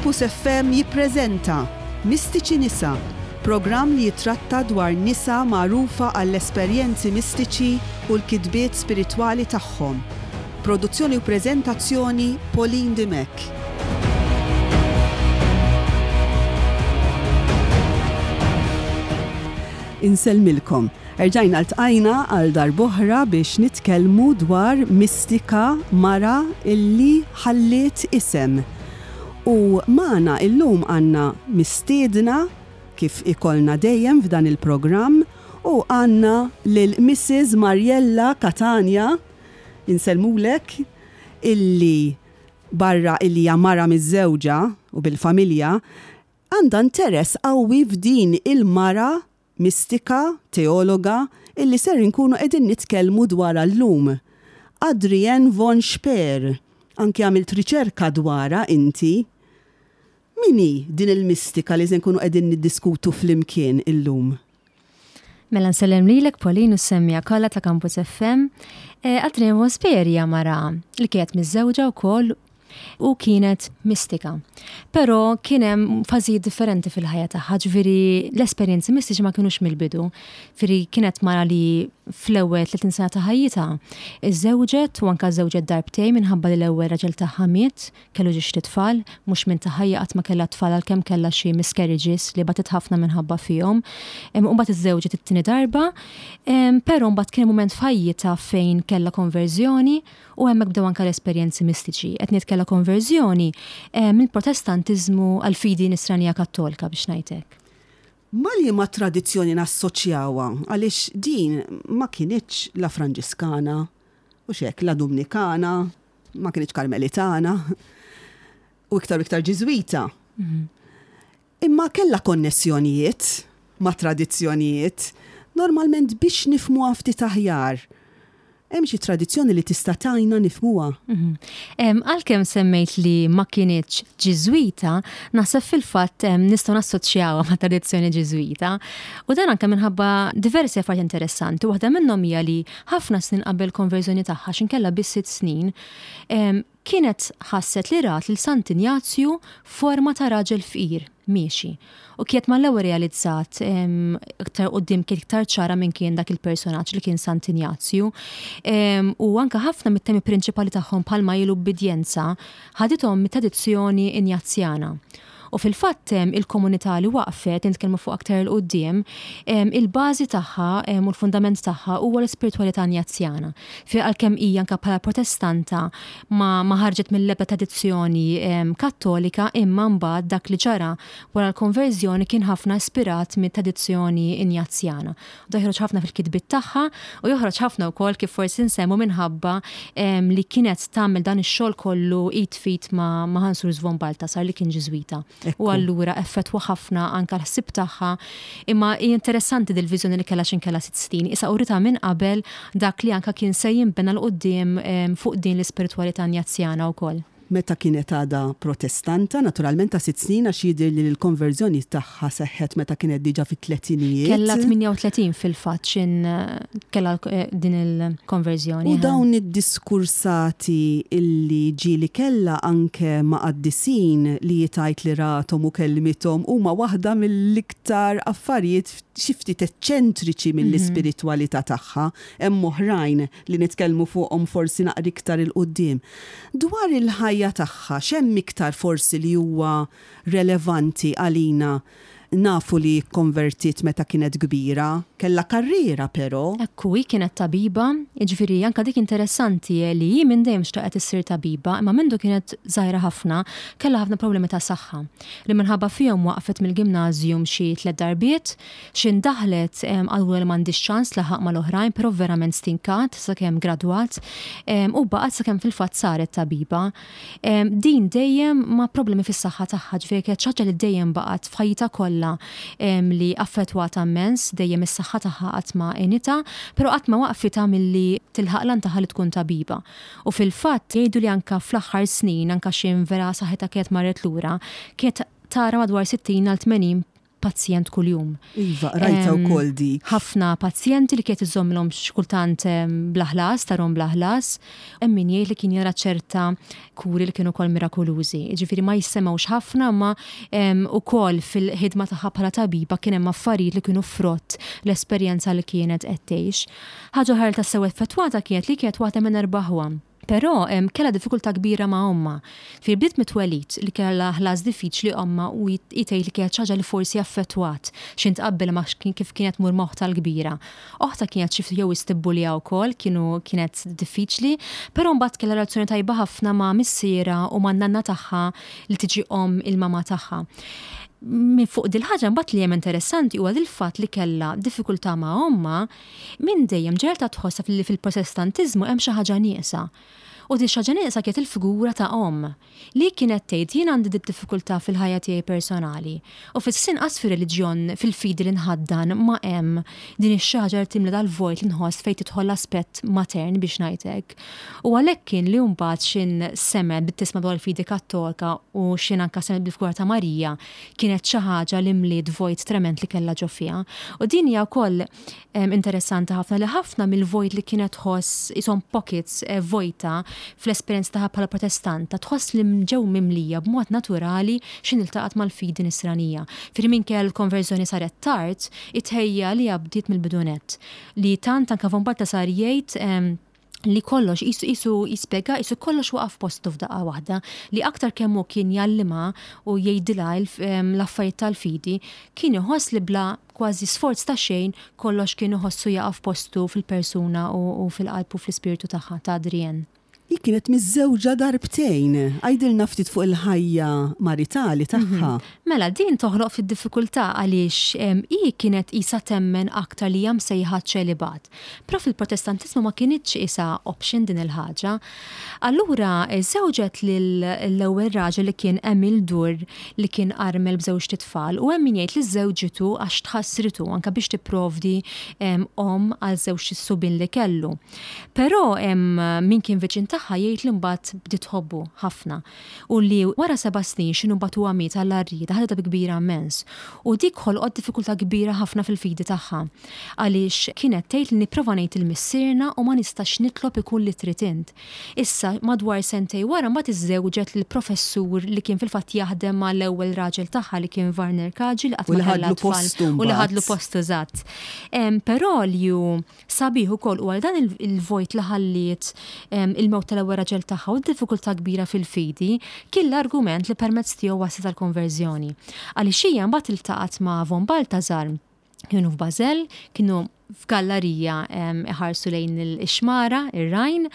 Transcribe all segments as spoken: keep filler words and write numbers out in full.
Campus F M jippreżenta Mistiċi Nisa, programm li jitratta dwar nisa magħrufa għall-esperjenzi mistiċi u l-kitbiet spiritwali tagħhom. Produzzjoni u preżentazzjoni, Pauline Dimech. Insellmilkom. Erġajna ltqajna għal darb'oħra biex nitkellmu dwar mistika, mara illi ħalliet isem. U magħna illum għandna mistiedna, kif ikollna dejjem f'dan il-programm, u għandna lil Missus Mariella Catania, insellmulek, illi barra illi hija mara miżżewġa u bil-familja, għandha interess qawwi f'din il-mara mistika, teologa, illi ser inkunu qegħdin nitkellmu dwar llum. Adrienne von Speyr, anki għamilt riċerka dwarha inti. Min hi din il-mistika li se nkunu qegħdin niddiskutu flimkien illum? Mela nsellem lilek, Pauline, u s-semmiegħa kollha ta' Campus F M. Eh, Adrienne von Speyr hija mara li kienet miżżewġa wkoll u kienet mistika. Però kien hemm fażijiet differenti fil-ħajja tagħha, ġifieri l-esperjenzi mistiċi ma kinux mill-bidu. Ġifieri kienet mara li fl-ewwel tletin sena ta' ħajjitha iżżewġet u anke żewġet darbtejn minħabba li l-ewwel raġel tagħha miet, kellu żewġt itfal, mhux minn ta' ħajja, qatt ma kellha tfal għalkemm kellha xi miscarriages li batet ħafna minħabba fihom. U mbagħad iżżewġet it-tieni darba, però mbagħad kien mument f'ħajjitha fejn kellha konverżjoni u hemmhekk bdew anke l-esperjenzi mistiċi. Qed ngħid kellha konverżjoni mill-Protestantiżmu għal fidi Nisranija Kattolika, biex ngħidlek. Ma li ma tradizzjoni nassoċjawha, għaliex din ma kinitx la Franġiskana, u xek, la Dominikana, ma kinitx Karmelitana, u iktar u iktar Ġiżwita. Mhm. Imma kella konnessjonijiet ma' tradizzjonijiet, normalment biex nifhmuha ftit aħjar. Hemm xi tradizzjoni li tista' tgħinna nifhmuha? Mhm. Għalkemm semmejt li ma kinitx Ġiżwita, naħseb fil-fatt nistgħu nassoċjawha ma' tradizzjoni Ġiżwita. U dan anke minħabba diversi affarijiet interessanti. Waħda minnhom hija li ħafna snin qabel konverżjoni tagħha, x'ħin kellha biss sitt snin, kienet ħasset li rat lil Sant Injazju forma ta' raġel fqir miexi. U kienet mal-ewwel realizzat, iktar quddiem kien iktar ċara minn kien dak il-personaġġ li kien Sant Injazju. U anka ħafna mit-temi prinċipali tagħhom, bħalma hi l-ubbidjenza, ħadithom mit-tradizzjoni Injazjana. U fil-fatt il-komunità li waqfet, nitkellmu fuq aktar 'il quddiem, il-bażi tagħha u l-fundament tagħha huwa l-ispiritualità Injazjana. Fi għalkemm hija anke bħala Protestanta ma, ma ħarġet mill-ebda tradizzjoni Kattolika, imma mbagħad dak li ġara wara l-konverżjoni kien ħafna ispirat mit-tradizzjoni Injazjana. Da joħroġ ħafna fil-kitbiet tagħha u joħroġ ħafna wkoll, kif forsi nsemmu, minħabba li kienet tagħmel dan ix-xogħol kollu id f'id ma', ma Hans Urs von Balthasar, li kien Ġiżwita. U allura effettwa ħafna anka l-ħsib tagħha. Imma interessanti dil-viżjoni li kellha x'ħin kellha sitt snin. Issa urita minn qabel dak li anka kien se jinbena 'l quddiem fuq din l-ispiritualità Injazjana wkoll. Meta kienet għada Protestanta, naturalment, ta' sitt snin, għax jidher li l-konverżjoni tagħha seħħet meta kienet diġà fit-tletinijiet. Kella tmienja u tletin fil-fatt x'ħin kellha eh, din il-konverżjoni. U dawn id-diskursati illi ġieli kellha anke ma' qaddisin li jgħid li rathom u kellmithom huma waħda mill-iktar affarijiet xi ftit eċċentriċi mill-ispiritwalità tagħha. Hemm oħrajn li nitkellmu fuqhom forsi naqra iktar 'il quddiem. Dwar il-ħajja tagħha, x'hemm iktar forsi li huwa relevanti għalina? Nafu li konvertit meta kienet kbira, kella karriera però. Ekku, hi kienet tabiba, jiġifieri anka dik interessanti li hi minn dejjem xtaqet issir tabiba, imma mindu kienet żgħira ħafna, kellha ħafna problemi ta' saħħa li minħabba fihom waqfet mill-gimnażjum xi tliet darbiet. X'ħin daħlet qalulha li m'għandhiex ċans tlaħħaq mal-oħrajn, però verament stinkat sakemm gradwat u baqgħet sakemm fil-fatt saret tabiba. Din dejjem ma' problemi fis-saħħa tagħha, ġifieri kienet xi ħaġa li dejjem baqgħet f'ħajjitha kollha li affettwata immens, dejjem is-saħħa tagħha qatt ma għenitha, però qatt ma waqfitha milli tilħaq l-għan tagħha li tkun tabiba. U fil-fatt jgħidu li anka fl-aħħar snin, anka x'ħin vera saħħitha kienet marret lura, kienet tara madwar sittin għal tmenin pazjent kuljum. Iva, rajta wkoll dik. Ħafna pazjenti li kienet iżommilhom xi kultant bla ħlas, tarahom bla ħlas, hemm min jgħid li kien jara ċerta kuri li kienu wkoll mirakolużi. Ġifieri ma jissemgħux ħafna, ma ukoll fil-ħidma tagħha bħala tabiba kien hemm affarijiet li kienu frott l-esperjenza li kienet qed tgħix. Ħaġa oħra tassew effettwata kienet li kienet waħda minn erba' aħwa. Però kellha diffikultà kbira ma' ommha. Fil bdiet mit-twelid li kellha ħlas diffiċli ommha u jgħid li kienet ħaġa li forsi affettwat x'ħin tqabbel ma' kif kienet tmur m'oħtha l-kbira. Oħtha kienet xi jew istibbulja wkoll, kienu kienet diffiċli, però mbagħad kellha relazzjoni tajba ħafna ma' missierha u ma' nanna tagħha li tiġi omm il-mama tagħha. Minn fuq dil-ħaġa mbagħad li hemm interessanti huwa il-fatt li kellha diffikultà ma' ommha minn dejjem ġerta tħossha li fil-Protestantiżmu hemm xi ħaġa nieqsa. U di xi ħaġa nieqsa kienet il-figura ta' omm li kienet tgħid, "Jien għandi di diffikultà fil-ħajja tiegħi personali. U fis-sinqas fir-reliġjon, fil-fidi li nħaddan, ma hemm din ix-xi ħaġa li timla dal-vojt li nħoss fejn tidħol l-aspett matern, biex ngħidlek." U għalhekk kien li mbagħad x'ħin semgħet bit-tisma' dwar il-fidi Kattolika u x'ħin anka semgħet bil-figura ta' Marija, kienet xi ħaġa li mliet vojt trement li kellha ġo fiha. U din hija wkoll interessanti ħafna li ħafna mill-vojt li kienet tħoss ishom pockets eh, vojta fl-esperjenza tagħha bħala Protestanta, tħoss li ġew mimlija b'mod naturali x'ħin iltaqgħet mal-fidi Nisranija. Firri minkejja l-konverżjoni saret tard, it-tħejjija li bdiet mill-bidu nett. Li tant anka von Balthasar jgħid li kollox jisu jisu jispjega jisu kollox waqaf postu f'daqqa waħda, li aktar kemm hu kien jgħallimha u jgħidilha l-affarijiet tal-fidi, kien iħoss li bla kważi sforz ta' xejn kollox kien iħossu jaqaf postu fil-persuna u fil-qalb u fl-ispirtu tagħha ta' Adrienne. Hi kienet miżżewġa darbtejn. Għidilna ftit fuq il-ħajja maritali tagħha. Mhm. Mela, din toħloq fid-diffikultà għaliex hi kienet isa temmen aktar li hija msejħa ċelibat. Però fil-Protestantizmu ma kinitx isa option din il-ħaġa. Allura żewġet l-ewwel raġel li kien Emil Dur, li kien armel b'żewġt itfal, u hemm min jgħid li żewġitu għax tħassritu anka biex tipprovdi omm għal żewġ subien li kellu. Però min kien viċin tagħha jgħid li mbagħad bdiet tħobbu ħafna u li wara seba' snin x'inhu mbagħad huwa miet għall-arrieda ħadha bi kbira immens. U dik ħolqot diffikultà kbira ħafna fil-fidi tagħha. Għaliex kienet tgħid li nipprova ngħid il-Missierna u ma nistax nitlob ikun li trid int. Issa madwar sentej wara mbagħad iżżewġet lill-professur li kien fil-fatt jaħdem mal-ewwel raġel tagħha, li kien Werner Kaji, li qatt ma kellha tfal u li ħadlu postu eżatt. Però li hu sabiħ ukoll u għal dan il-vojt li ħalliet il-mewt tal-ewwel raġel tagħha u d-diffikultà kbira fil-fidi kien l-argument li permezz tiegħu waslet tal-konverżjoni. Għaliex hija mbagħad iltaqgħet ma' von Balthasar, kienu f'Bażel, kienu f'gallerija iħarsu lejn il-xmara, ir-Rajn,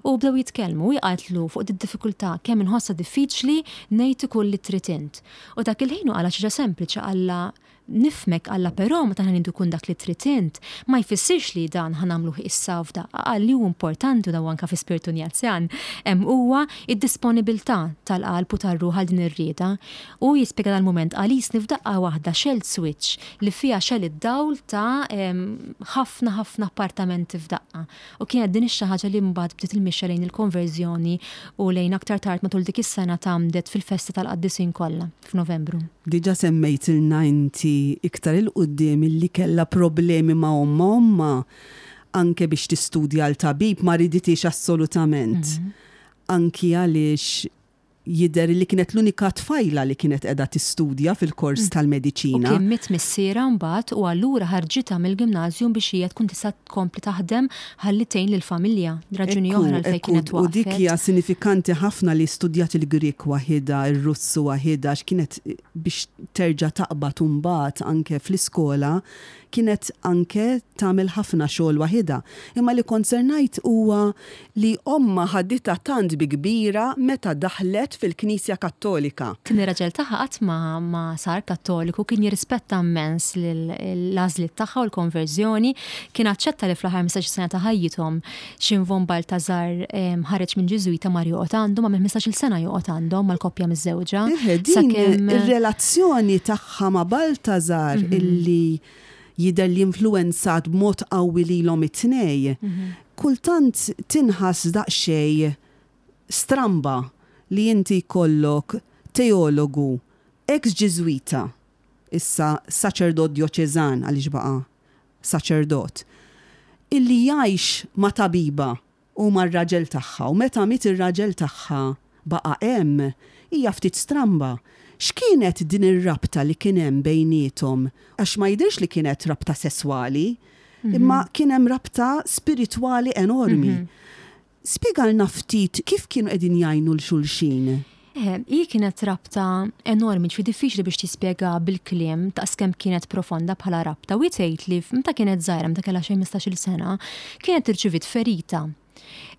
u bdew jitkellmu u qaltlu fuq id-diffikultà kemm inħossha diffiċli ngħid ikun li trid int. U dak il-ħin qala xi sempliċi, qalla, "Nifhmek," qalla, "però meta ħa ngħidu kun dak li trid int, ma jfissirx li dan ħa nagħmluh issa f'daqqa." Qal li hu importanti, u daw anka fi spiritu Injazjan, huwa id-disponibilità tal-qalb u tar-ruħ għal din ir-rieda. U jispjega dal-moment għalis f'daqqa waħda xegħel switch li fiha xegħel id-dawl ta' ħafna ħafna appartamenti f'daqqa. U kienet din ix-xi ħaġa li mbagħad bdiet il-mixja lejn il-konverżjoni u lejn aktar tard matul dik is-sena tgħammdet fil-festa tal-qaddisin kollha f'Novembru. Diġà semmejtilna inti iktar 'il quddiem illi kellha problemi ma' omma omma anke biex tistudja l-tabib ma riditix assolutament. Mhm. Anki għaliex jidher li kienet l-unika tfajla li kienet qiegħda tistudja fil-kors mm. tal-mediċina. U kien miet missierha mbagħad u allura ħarġitha mill-gimnażjum biex hija tkun tista' tkompli taħdem ħalli tgħin lill-familja. Raġuni oħra għalfejn kienet waqfet. U dik hija sinifikanti ħafna li studjat il-Grek waħidha, ir-Russu waħidha, x'kienet biex terġa' taqbad mbagħad anke fl-iskola kienet anke tagħmel ħafna xogħol waħidha. Imma li kont se ngħid huwa li omma ħaditha tant bi kbira meta daħlet fil-Knisja Kattolika. Kien ir-raġel tagħha qatt ma, ma sar Kattoliku, kien jirrispetta immens l-għażliet tagħha u l-konverżjoni, kien aċċetta li fl-aħħar ħmistax-il sena ta' ħajjithom x'ħin von Balthasar ħareġ minn Ġiżwita mar joqgħod għandhom, għamel ħmistax-il sena joqgħod għandhom mal-koppja miżżewġa. Din ir-relazzjoni tagħha ma' Balthasar mhm. illi jidher li influenzat b'mod qawwi lilhom it-tnej. Mhm. Kultant tinħass daqsxejn stramba li inti jkollok teologu, ex-Ġiżwita, Issa saċerdot djoċeżan, għaliex baqa' saċerdot, illi jgħix ma' tabiba u mar-raġel tagħha, u meta miet ir-raġel tagħha baqa' hemm, hija ftit stramba. X'kienet din ir-rabta li kien hemm bejniethom? Għax ma jidhirx li kienet rabta sesswali, imma kien hemm rabta spiritwali enormi. Spjegalna ftit kif kienu qegħdin jgħinu 'l xulxin. Eh, hi kienet rabta enormi, ġifieri diffiċli biex tispjega bil-kliem ta' kemm kienet profonda bħala rabta. U tgħid li meta kienet żgħira, meta kellha xi ħmistax-il sena, kienet irċiviet ferita.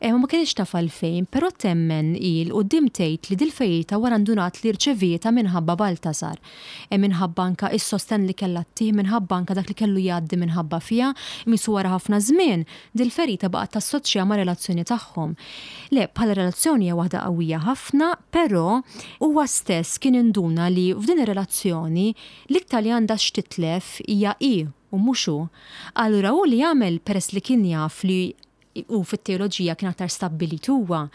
Eh, ma kienx taf għalfejn, però temmen 'il quddiem tgħid li dil-ferita wara ndunat li rċevietha minħabba Baltasar. E minħabba anka is-sosten li kellha ttih, minħabba anka dak li kellu jgħaddi minħabba fiha, misu wara ħafna żmien, dil-ferita baqgħet tassoċja ma' relazzjoni tagħhom. Le, bħala relazzjoni hija waħda qawwija ħafna, però huwa stess kien induna li f'din ir-relazzjoni l-iktar li għandha x'titlef hija hi u mhux hu. Allura hu li jagħmel, peress li kien jaf li u fit-teoloġija kien aktar stabbilit, huwa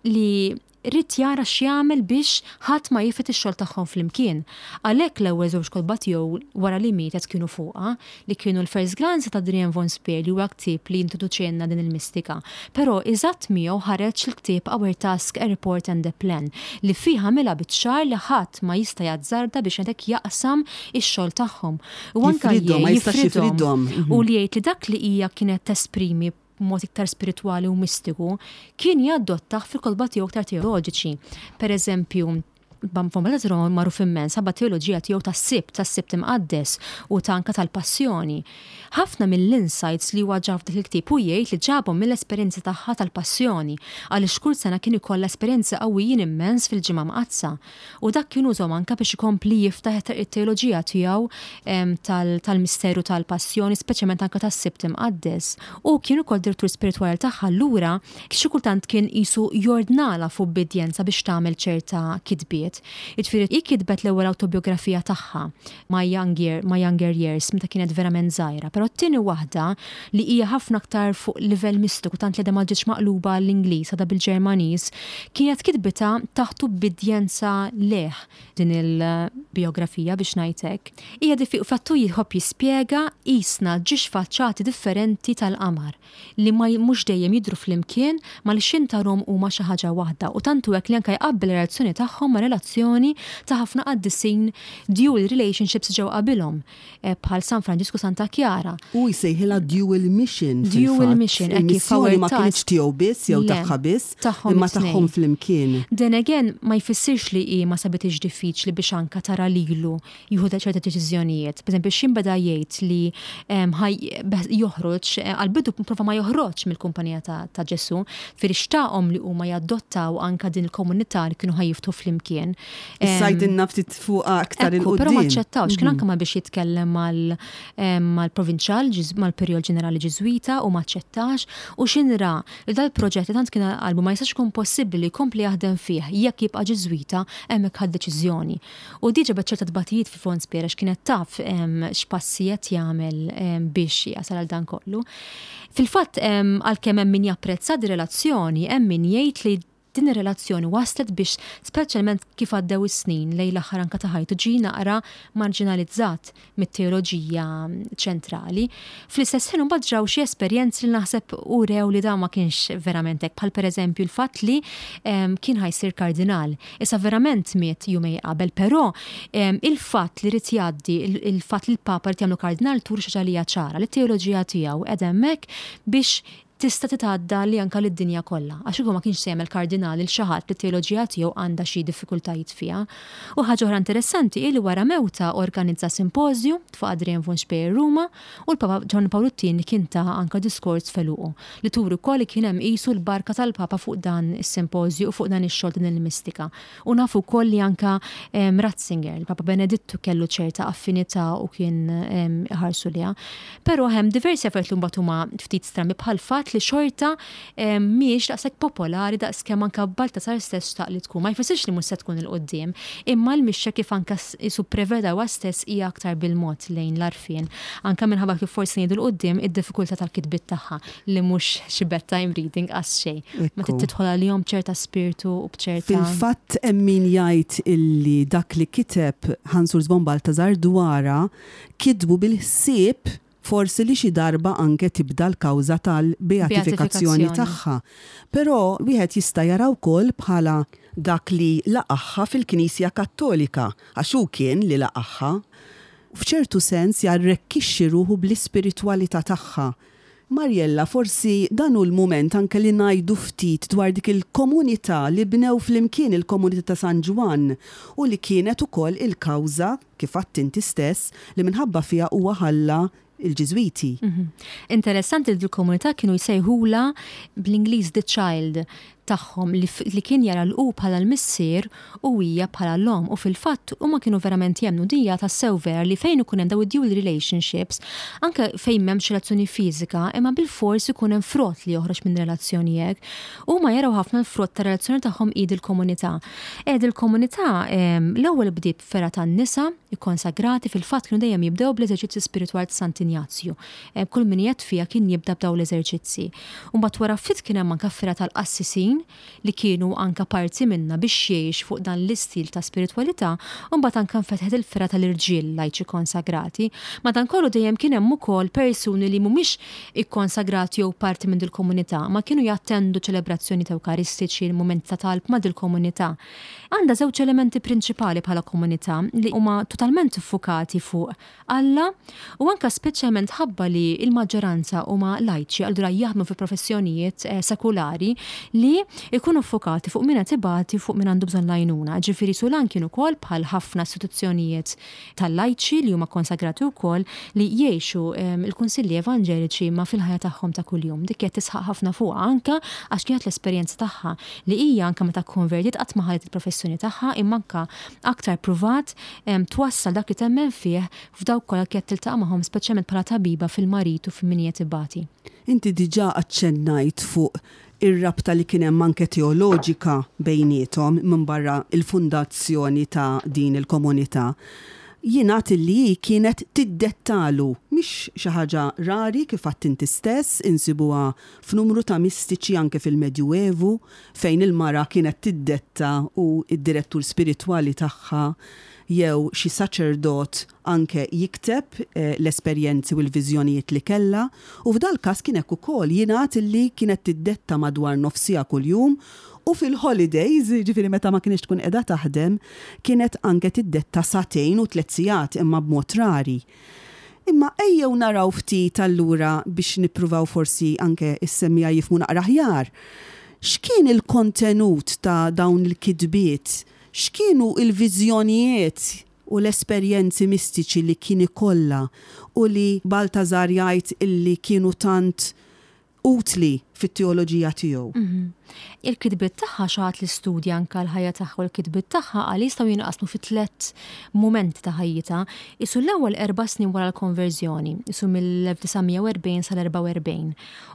li ried jara x'jagħmel biex ħadd ma jifred ix-xogħol tagħhom flimkien. Għalhekk l-ewwel żewġ kotba tiegħu wara li mietet kienu fuqha, li kienu l-First Glance ta' Adrienne von Speyr, li huwa ktieb li introduċielna din il-mistika. Però eżatt miegħu ħareġ il-ktieb Our Task, A Report and a Plan, li fih għamilha biċ-ċar li ħadd ma jista' jazzarda biex hekk jaqsam ix-xogħol tagħhom. U anke Jifridhom, ma jistax jifridhom. Jifridhom. U li jgħid li dak li hija kienet tesprimi b'mod iktar spiritwali u mistiku, kien jadottah fil-kotba tiegħu iktar teoloġiċi. Per eżempju, Von Balthasar magħruf immens ħabba teoloġija tiegħu tas-Sibt, tas-Sibt Imqaddes u ta' anka tal-Passjoni. Ħafna mill-insights li huwa ġab f'dak il-ktieb u jgħid li ġabhom mill-esperjenza tagħha tal-Passjoni, għaliex kull sena kien ikollha esperjenza qawwijin immens fil-Ġimgħa Mqaddsa. U dak kien użhom anka biex ikompli jiftaħ it-teoloġija tiegħu em, tal- tal-misteru tal-Passjoni, speċjalment anka tas-Sibt Imqaddes. U kien ukoll direttur spiritwali tagħha, allura xi kultant kien qisu jordnala f'ubbidjenza biex tagħmel ċerta kitbiet. Jiġifieri hi kitbet l-ewwel autobiografija tagħha My Younger, My Younger Years meta kienet verament żgħira, però t-tieni waħda, li hija ħafna aktar fuq livell mistiku, tant li għadha ma ġietx maqluba l-Ingliż, għadha bil-Ġermaniż, kienet kitbitha taħt ubbidjenza leh din il-biografija, biex ngħidlek. Hija diffi fattu jħobb jispjega qisna żewġ faċċati differenti tal-qamar li ma mhux dejjem jidhru flimkien, ma li xintarhom huma xi ħaġa waħda, u tantu hekk li anke jqabbel relazzjoni tagħhom ma' relazzjoni ta' ħafna qaddisin, dual relationships ġew qabilhom, eh, bħal San Franġisku, Santa Chiara. U jsejħilha dual mission. Dual fil-fatt. mission, hekk kif Il-missjoni ma Our kienx Task. tiegħu biss jew Le, tagħha biss, tagħhom imma it-tnejn. tagħhom flimkien. Then again, ma jfissirx li hi ma sabitix diffiċli biex anka tara lilu jieħu ċerta deċiżjonijiet. Per eżempju, xin beda jgħid li em, ħaj beħ- joħroġ, eh, għal-bidu prova ma joħroġ mill-kumpanija ta', ta' Ġesu, firixtaqhom li huma jadottaw anka din il-komunità li kienu ħa jiftħu flimkien. Em, Issa għidilna ftit fuqha aktar Ekku, però ma 'il quddiem. aċċettawx, kien anke ma biex jitkellem mal- em, mal-provinċjal, Ġiż- mal-Perjol Ġenerali Ġiżwita, u ma aċċettax, u xinra li dal-proġett li tant kien qalbu ma jistax ikun possibbli li jkompli jaħdem fih jekk jibqa' Ġiżwita, hemmhekk ħad deċiżjoni. U diġà ċerta tbatijiet fi Von Speyr għax kienet taf em, x'passi qed jagħmel em, biex jasal għal dan kollu. Fil-fatt em, għalkemm hemm min japprezza di relazzjoni, hemm min jgħid li din ir-relazzjoni waslet biex, speċjalment kif għaddew is-snin lejn l-aħħar anka ta' ħajtu, ġie naqra marginalizzat mit-teoloġija ċentrali. Fl-istess ħin mbagħad ġraw xi esperjenzi li naħseb urew li dan ma kienx verament hekk, bħal pereżempju l-fatt li em, kien ħa jsir kardinal. Issa verament miet jumejn qabel, però em, il-fatt li rid jgħaddi, il- il-fatt li l-Papa rid jagħmlu kardinal turi xi ħaġa li hija ċara, li t-teoloġija tiegħu qed hemmhekk biex tista' titgħadda li anka lid-dinja kollha. Għax huwa ma kienx se jagħmel kardinal il xi ħadd li t-teoloġija tiegħu għandha xi diffikultajiet fiha. U ħaġa oħra interessanti hi li wara mewta organizza simpożju fuq Adrienne von Speyr Ruma, u l-Papa Ġwanni Pawlu t-Tieni kien ta anka diskors f'għeluqu li turi wkoll li kien hemm qisu l-barka tal-Papa fuq dan is-simpożju u fuq dan ix-xogħol, din il-mistika. U nafu wkoll li anka em, Ratzinger, il-Papa Benedittu, kellu ċerta affinità u kien em, ħarsu liha. Però hemm diversi affarijiet li mbagħad huma ftit strambi, bħal fatt li xorta mhijiex daqshekk popolari daqs kemm anke Baltasar stess xtaq li tkun. Ma jfissirx li mhux se tkun 'il quddiem, imma l-mixja kif anke isu preveda huwa stess hija aktar bil-mod lejn l-għarfien. Anke minħabba kif forsi ngħidu 'l quddiem id-diffikultà tal-kitbiet tagħha li mhux xi bedtime reading għas xejn. Ma tidħol għalihom ċerta spiritu u b'ċerta. Fil-fatt hemm min jgħid illi dak li kiteb Hans Urs von Balthasar dwarha kitbu bil-ħsieb forsi li xi darba anke tibda l-kawża tal-beatifikazzjoni tagħha. Però wieħed jista' jara wkoll bħala dak li laqagħha fil-Knisja Kattolika, għax hu kien li laqagħha. F'ċertu sens jarrekkixxi ruħu bl-ispiritwalità tagħha. Mariella, forsi dan hu l-mument anke li ngħidu ftit dwar dik il-komunità li bnew flimkien, il-komunità ta' San Ġwann, u li kienet ukoll il-kawża, kif għedt inti stess, li minħabba fiha huwa ħalla il-Ġiżwiti. Mhm. Interessanti li l-komunità kienu jsejħula bl-Ingliż "the child" tagħhom, li, li kien jara l-u bħala l-missier u hija bħala l-omm, u fil-fatt huma kienu verament jemmnu dija ta' sew vera li fejn ikun hemm daw id-dual relationships, anke fejn m'hemmx relazzjoni fiżika, imma bil-fors ikun hemm frott li joħroġ minn relazzjoni hekk. Huma jaraw ħafna l-frott ta' relazzjoni tagħhom id il-komunità. Ed il-komunità l-ewwel bdiet fergħa tan-nisa ikkonsagrati, fil-fatt kienu dejjem jibdew bl-eżerċizzi spiritwali ta' Sant'Injazju. Kull min jgħid fiha kien jibda b'daw l-eżerċizzi. U mbagħad wara ftit kien hemm anke fergħa tal-qassisin li kienu anka parti minna biex jgħix fuq dan l-istil ta' spiritwalità, u mbagħad anka nfetħet il-fergħa tal-irġiel lajċi konsagrati. Madankollu dejjem kien hemm ukoll persuni li mhumiex ikkonsagrati jew parti minn dil-komunità, ma kienu jattendu ċelebrazzjoni ta' ewkaristiċi, mumenti ta' talb ma' dil-komunità. Għandha żewġ elementi prinċipali bħala komunità li huma totalment iffukati fuq Alla u anka speċjalment ħabba li il-maġġoranza huma lajċi, allura jaħdmu fi professjonijiet eh, sekulari li ikunu fokati fuq min qed ibati, fuq min għandu bżonn l-għajnuna. Ġifieri Sulan kien ukoll bħal ħafna istituzzjonijiet tal-lajċi li huma konsagrati wkoll li jgħixu il-kunsilli evanġeliċi ma fil-ħajja tagħhom ta' kuljum. Dik qed tisħaq ħafna fuqha anka għax kienet l-esperjenza tagħha li hija anka meta konvertiet qatt ma ħallet il-professjoni tagħha, imma anka aktar pruvat twassal dak li temmen fih f'dawk kollha kienet tiltaqa' magħhom, speċjalment bħala tabiba fil-marid u f'min qed ibati. Inti diġà aċċennajt fuq ir-rabta li kien hemm anke teoloġika bejniethom minn barra il-fundazzjoni ta' din il-komunità. Jingħad li kienet tiddettalu, mhix xi ħaġa rari, kif għedt inti stess, insibuha f'numru ta' mistiċi anke fil-Medjuevu fejn il-mara kienet tiddetta u id-direttur spiritwali tagħha jew xi saċerdot anke jikteb eh, l-esperjenzi u l-viżjonijiet li kellha, u f'dal każ kien hekk ukoll. Jingħad li kienet tiddetta madwar nofs siegħa kuljum u fil-holidays, ġifieri meta ma kienx tkun qiegħda taħdem, kienet anke tiddetta sagħtejn u tliet sigħat, imma b'mod rari. Imma ejjew naraw ftit allura biex nippruvaw forsi anke is-semmiegħa jifhmu naqra aħjar. X'kien il-kontenut ta' dawn il-kitbiet? X'kienu il-viżjonijiet u l-esperjenzi mistiċi li kien ikollha u li Baltazar jgħid illi kienu tant utli fit-teoloġija tiegħu? Mhm. Il-kitbiet tagħha, xi ħadd li studja anka l-ħajja tagħha u l-kitbiet tagħha, għal jistgħu jinqasmu fi tliet mumenti ta' ħajjitha. Isu l-ewwel erba' snin wara l-konverżjoni, isu mill-elf disa' mija u erbgħin sal-erbgħa u erbgħin.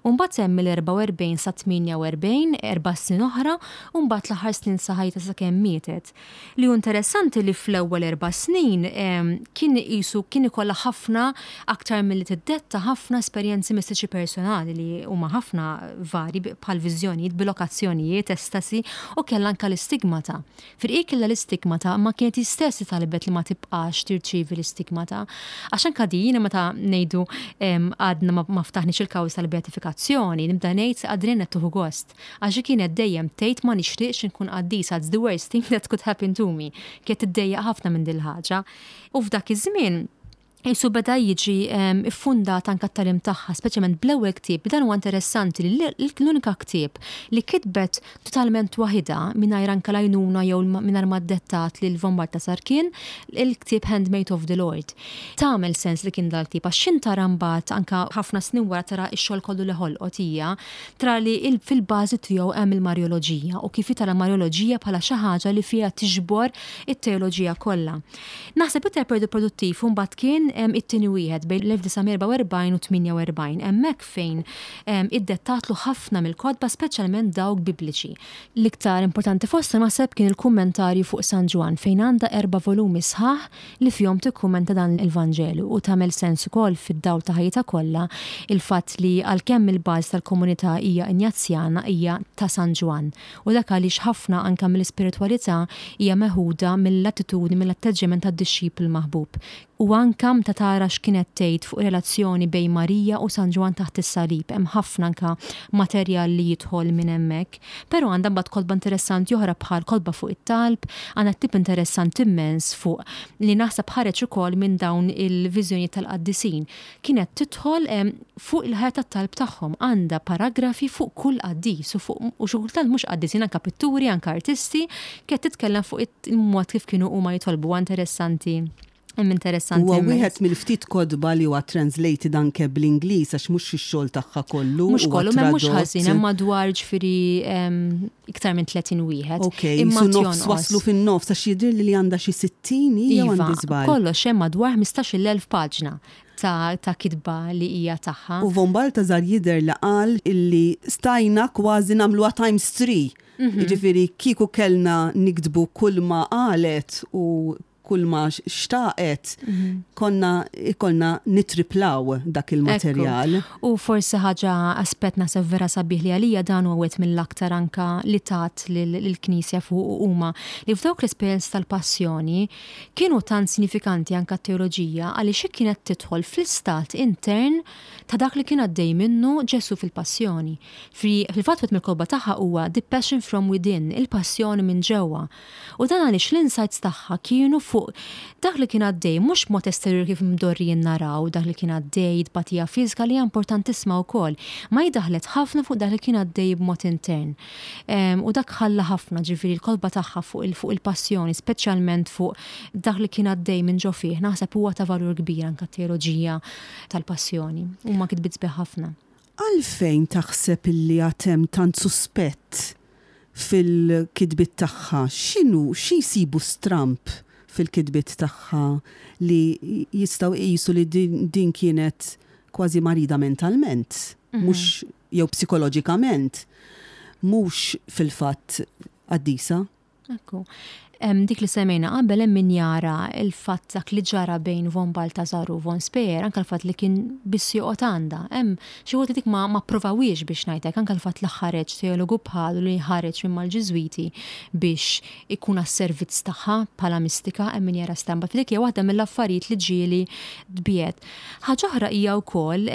U mbagħad hemm mill-erbgħa u erbgħin sa tmienja u erbgħin, erba' snin oħra, u mbagħad l-aħħar snin sa ħajta sakemm mietet. Li hu interessanti li fl-ewwel erba' snin kien isu kien ikollha ħafna aktar milli tiddetta ħafna esperjenzi mistiċi personali li huma ħafna vari bħal viżjonijiet, bilokazzjonijiet, estasi, u kellha anka l-istigmata. Firqi kellha l-istigmata, ma kienet istess talbet li ma tibqax tirċievi l-istigmata. Għax anka din meta ngħidu għadna ma ftaħniex il-kawża tal-beatifikazzjoni, nibda ngħid għadrin qed tieħu gost. Għax kienet dejjem tgħid, "Ma nixtieqx inkun qaddisa, it's the worst thing that could happen to me." Kienet tiddejjaq ħafna minn dil ħaġa. U f'dak iż-żmien Isu beda jiġi iffundat anka t-tagħlim tagħha, speċjalment bl-ewwel ktieb. Dan huwa interessanti li l-unika ktieb li kitbet totalment waħida mingħajr anka l-għajnuna jew mingħajr ma dettat lil von Baltasar kien il-ktieb Handmaid of the Lord. Tagħmel sens li kien dal-ktieb għax xin tara mbagħad anka ħafna snin wara, tara x-xogħol kollu li ħolqot hija, tara li fil-bażi tiegħu hemm il-Marjoloġija u kif tara Marjoloġija bħala xi ħaġa li fiha tiġbor it-teoloġija kollha. Naħseb iktar periodu produttiv mbagħad kien kien it-tieni wieħed bejn l-elf disa' mija erbgħa u erbgħin u tmienja u erbgħin, hemmhekk fejn iddettatlu ħafna mill-kotba, speċjalment dawk bibliċi. L-iktar importanti fosthom naħseb kien il-kummentarju fuq San Ġwann, fejn għandha erba' volumi sħaħ li fihom tikkummenta dan il-Vanġelu, u tagħmel sens ukoll fid-dawl ta' ħajjitha kollha il-fatt li għalkemm il-bażi tal-komunità hija Injazjana, hija ta' San Ġwann. U dak għaliex ħafna anke mill-ispiritwalità hija meħuda mill-attitudni, mill-atteġġjament tad-dixxiplu maħbub. U anka meta tara x'kienet tgħid fuq relazzjoni bejn Marija u San Ġwann taħt is-salib, hemm ħafna anka materjal li jidħol minn hemmhekk. Però għandha mbagħad kotba interessanti oħra bħal kotba fuq it-talb, għandha ktieb interessanti immens fuq li naħseb ħareġ ukoll minn dawn il-viżjoni tal-qaddisin. Kienet tidħol fuq il-ħajja tat-talb tagħhom, għandha paragrafi fuq kull qaddis u fuq u xi kultant mhux qaddisin, anka pitturi, anka artisti, kienet titkellem fuq il-mod kif kienu huma jitolbu. Interessanti. Hemm interessanti. Huwa wieħed mill-ftit kotba li huwa translated anke bl-Ingliż, għax mhux ix-xogħol tagħha kollu. Mhux kollu, ma mhux ħażin, hemm madwar, ġifieri, iktar minn tletin wieħed. Ok, imma nofs waslu fin-nofs, għax jidher li għandha xi sittin hija, iva, għandi żball. Kollox hemm madwar ħmistax-il elf paġna ta', ta kitba li hija tagħha. U von Balthasar jidher li qal illi stajna kważi nagħmluha times three. Mhm. Jiġifieri kieku kellna niktbu kull ma qalet u kull ma xtaqet, mhm. konna ikollna nitriplaw dak il-materjal. U forsi ħaġa, aspett naħseb vera sabiħ li għalija dan huwa wieħed mill-aktar anka li tat lill-Knisja fuq huma li f'dawk l-esperjenz tal-passjoni kienu tant sinifikanti anka teoloġija, għaliex kienet tidħol fl-istat intern ta' dak li kien għaddej minnu Ġesu fil-passjoni. Fil-fatt wieħed mill-kotba tagħha huwa The Passion from Within, il-passjoni minn ġewwa. U dan għaliex l-insights tagħha kienu fuq dak li kien għaddej, mhux mod esterjur kif mdorrijin naraw dak li kien għaddej, tbatija fiżika li hija importantissima wkoll, ma daħlet ħafna fuq dak li kien għaddej b'mod intern. U dak ħalla ħafna, ġifieri l-kotba tagħha fuq il-passjoni, speċjalment fuq dak li kien għaddej minn ġo fih, naħseb huwa ta' valur kbir anka teoloġija tal-passjoni. Huma kitbiet sbieħ ħafna. Għalfejn taħseb illi għad hemm tant suspett fil-kitbiet tagħha? X'inhu xi jsibu stramp fil-kitbiet tagħha li jistgħu jqisu li din, din kienet kważi marida mentalment, mm -hmm. mhux jew psikoloġikament, mhux fil-fatt qaddisa? Ekku. Dik li semmejna qabel, hemm min jara il-fatt dak li ġara bejn von Balthasar u von Speyer, anka l-fatt li kien biss joqgħod għandha. Hemm xi wħud li dik ma ma provawiex biex ngħidlek, anka l-fatt li ħareġ teologu bħalu li ħareġ minn mal-Ġiżwiti biex ikun għas-servizz tagħha bħala mistika, hemm min jara stampa. Dik hija waħda mill-affarijiet li ġieli tbiet. Ħaġa oħra hija wkoll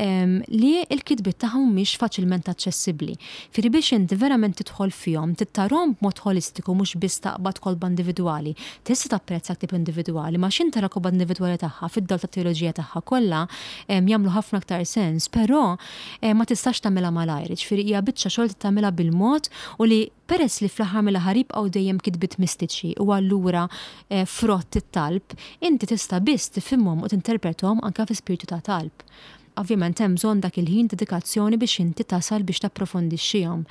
li l-kitbiet tagħha mhumiex faċilment aċċessibbli. Firri biex inti verament tidħol fihom, tittarhom b'mod holistiku, mhux biss taqbad kotba individwali. Tista' tapprezza ktieb individwali, ma x'int tara kotba individwali tagħha fid-dawl tat-teoloġija tagħha kollha jagħmlu ħafna aktar sens, però ma tistax tagħmilha malajr, ġifieri hija biċċa xogħol tagħmilha bil-mod, u li peress li fl-aħħar mill-aħħar jibqgħu dejjem kitbiet mistiċi u allura eh, frott it-talb, inti tista' biss tifhimhom u tinterprethom anke fi spiritu ta' talb. Ovvjament hemm bżonn dak il-ħin, dedikazzjoni biex inti tasal biex tapprofondixxihom.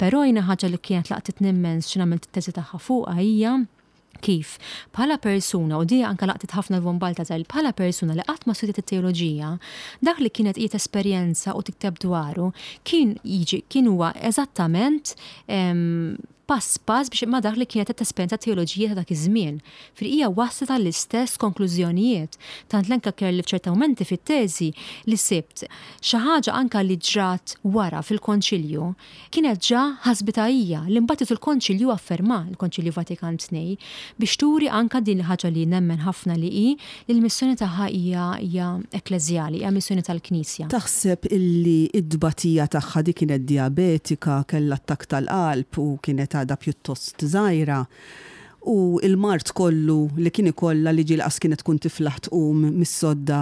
Però jiena ħaġa li kienet laqtitni immens x'ħin għamilt it-teżi tagħha fuqha hija kif bħala persuna, u di anka laqtit ħafna von Balthasar, bħala persuna li qatt ma studjat it-teoloġija, dak li kienet qiegħed esperjenza u tikteb dwaru kien jiġi kien huwa eżattament pass pass biex ma dak li kienet qed tesperjenza teoloġija ta' dak iż-żmien. Fil hija waslet għall-istess konklużjonijiet. Tant l-anka kelli f'ċerta momenti fit-teżi li sibt xi ħaġa anka li ġrat wara fil-Konċilju kienet ġa ħasbitha hija, li mbagħad il-Konċilju afferma, il-Konċilju Vatikan tnejn, biex turi anka din il-ħaġa li nemmen ħafna li hi li l-missjoni tagħha hija hija ekkleżjali, hija missjoni tal-Knisja. Taħseb illi id-dbatija tagħha, di kienet diabetika, kellha attakk tal-qalb u kienet għadha pjuttost żgħira, u il-mard kollu li kien ikollha li ġieli qas kienet tkun tiflaħ tqum mis-sodda,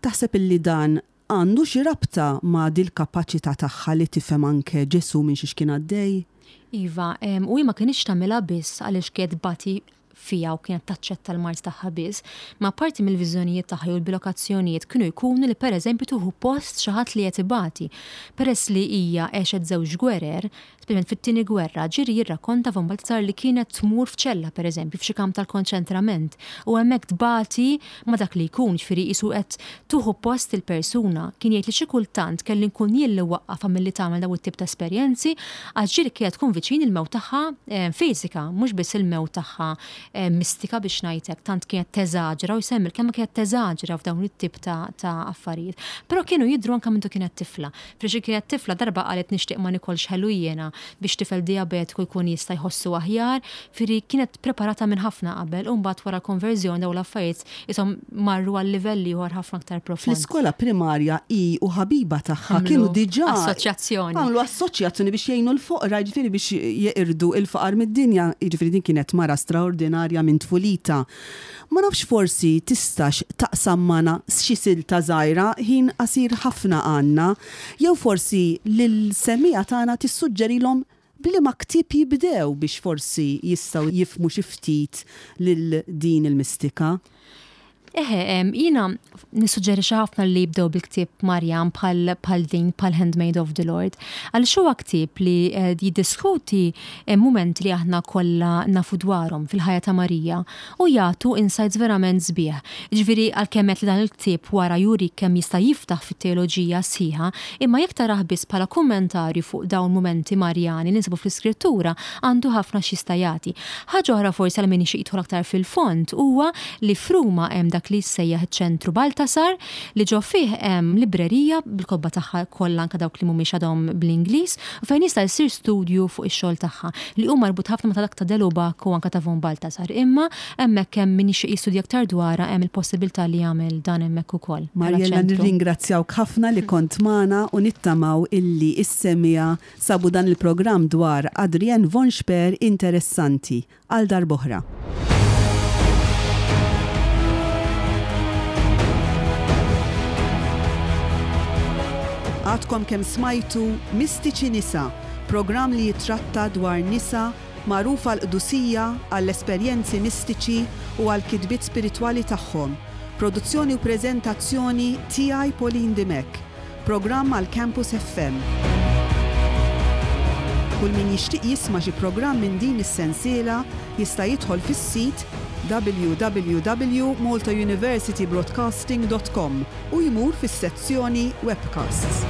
taħseb illi dan għandu xi rabta ma' dil-kapaċità tagħha li tifhem anke Ġesu minn xiex kien għaddej? Iva, u hi ma kinitx tagħmilha biss għaliex kienet tbati. fiha u kienet taċċetta l-mard tagħha biss, ma parti mill-viżjonijiet tagħha u l-bilokazzjonijiet kienu jkunu li pereżempju tieħu post xi ħadd li qed ibati. Peress li hija għexet żewġ gwerer, speċjalment fit-tieni gwerra, ġieli jirrakkonta von Balthasar li kienet tmur f'ċella pereżempju f'xi kamp tal-konċentrament u hemmhekk tbati ma dak li jkun, ġifieri qisu qed tieħu post il-persuna. Kien jgħid li xi kultant kelli nkun jien li waqqafha milli tagħmel dawn it-tip ta' esperjenzi għax ġieli kienet tkun viċin il-mewt tagħha eh, fiżika, mhux biss il-mewt tagħha eh, mistika biex ngħidlek, tant kienet teżaġera u jsemmi kemm kienet teżaġera f'dawn it-tip ta', ta' affarijiet. Però kienu jidhru anke mindu kienet tifla. Frixi kienet tifla darba qalet nixtieq ma nikolx ħelu jiena biex tifel diabetiku jkun jista' jħossu aħjar, firri kienet preparata minn ħafna qabel u mbagħad wara konverżjoni dawn l-affarijiet ishom marru għal livelli ieħor ħafna aktar profond. Fl-iskola primarja i u ħabiba tagħha Għamlu kienu diġà assoċjazzjoni. Għamlu assoċjazzjoni biex jgħinu l-foqra, jiġifieri biex jeqirdu il-faqar mid-dinja, jiġifieri din kienet mara straordinarja minn tfulita. Ma nafx forsi tistax taqsam magħna xi silta żgħira, ħin qasir ħafna għandna, jew forsi lil-semmiegħa tagħna tissuġġerilhom b'liema ktieb jibdew biex forsi jistgħu jifhmu xi ftit lil din il-mistika. Eħe, em, jiena nissuġġerixxi ħafna li jibdew bil-ktieb Marjan bħal bħal din bħal Handmaid of the Lord. Għaliex huwa ktieb li eh, jiddiskuti eh, momenti li aħna kollha nafu dwarhom fil-ħajja ta' Marija u jagħtu insights verament sbieħ. Ġifieri għalkemm qed li dan il-ktieb wara juri kemm jista' jiftaħ fit-teoloġija sħiħa, imma jekk tarah biss bħala kummentarju fuq dawn momenti Marjani li nsibu fl-iskrittura għandu ħafna x'jista' jagħti. Ħaġa oħra forsi għal min jixtieq jidħol aktar fil-fond huwa li f'Ruma hemm dak li jissejjaħ iċ-ċentru Baltasar li ġo fih hemm librerija bil-kotba tagħha kollha anke dawk li mhumiex għadhom bl-Ingliż u fejn jista' jsir studju fuq ix-xogħol tagħha li hu marbut ħafna ma' ta' dak ta' de Lubac u anke ta' von Baltasar. Imma hemmhekk hemm min jixtieq jistudja aktar dwarha hemm il-possibilità li jagħmel dan hemmhekk ukoll. bħala Mariella, ċentru. nirringrazzjawk ħafna li kont magħna u nittamaw illi is-semmiegħa sabu dan il-programm dwar Adrienne von Speyr interessanti. Għal darb'oħra. Għadkom kemm smajtu Mistiċi Nisa, programm li jitratta dwar nisa magħrufa l-qdusija għall-esperjenzi mistiċi u għall-kitbiet spiritwali tagħhom. Produzzjoni u preżentazzjoni tiegħi Pauline Dimech. Programm għal Campus F M. Kull min jixtieq jisma' xi programm minn din is-sensiela jista' jidħol fis-sit w w w punt maltauniversitybroadcasting punt com u jmur fis-sezzjoni Webcasts.